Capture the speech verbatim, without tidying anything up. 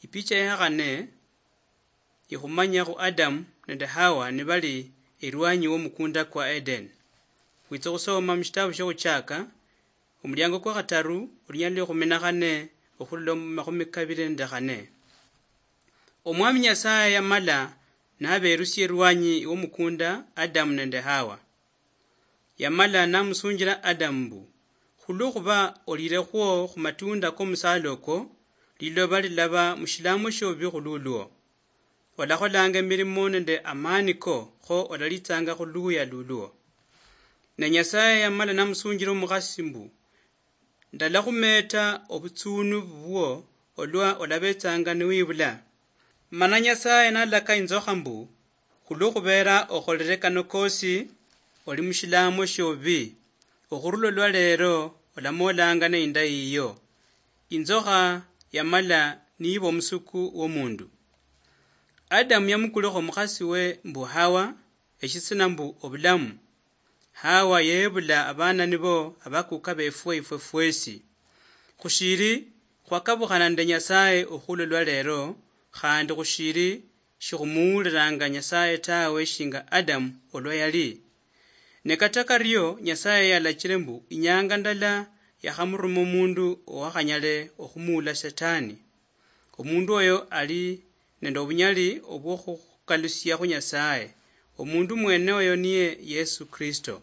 Ipicha yakhane ikhumanya khu Adamu nende Hawa nibali erwanyi womukunda kwa Eden. Khwitsa khusoma mushitabu shioKhuchaka, omuliango kwakhataru, olunyali lwa ekhumi nakhane okhurula mumakhumi kabili nende khane. Omwami Nyasaye yamala naberusia erwanyi womukunda Adamu nende Hawa. Yamala namusunjila Adamu mbu, khulwokhuba olilekhwo khumatunda komusala oko, liloba lilaba mushilamwa shiobubi khululwo. Olakholanga emilimo nende amani ko, kho olalitsanga khuluya lulwo. Ne Nyasaye yamala namusunjila omukhasi mbu, ndalakhumeeta obutsunu bubwo olwa olabetsanga niwibula. Mana Nyasaye nalaka inzokha mbu, khulwokhubera okholere kano kosi, oli mushilamwa shiobubi, okhurula olwa lero olamoolanga neinda yiyo. Inzokha yamala niiba omusuku womundu. Adamu yamukulekho omukhasi we mbu Hawa, eshitsina mbu obulamu. Hawa yebula abana nibo abakuka befwe ifwe fwesi. Khushili khwakabukhana nende Nyasaye okhulwa olwa lero, khandi khushili shikhumuwulilanga Nyasaye tawe shinga Adamu olwa yali. Ne kata kario Nyasaye yalachile mbu inyanga ndala yakhamuruma omundu owakhanyale okhumuula Shetani. Omundu oyo ali nende obunyali obwokhukalusia khu Nyasaye. Omundu mwene oyo niye Yesu Kristo.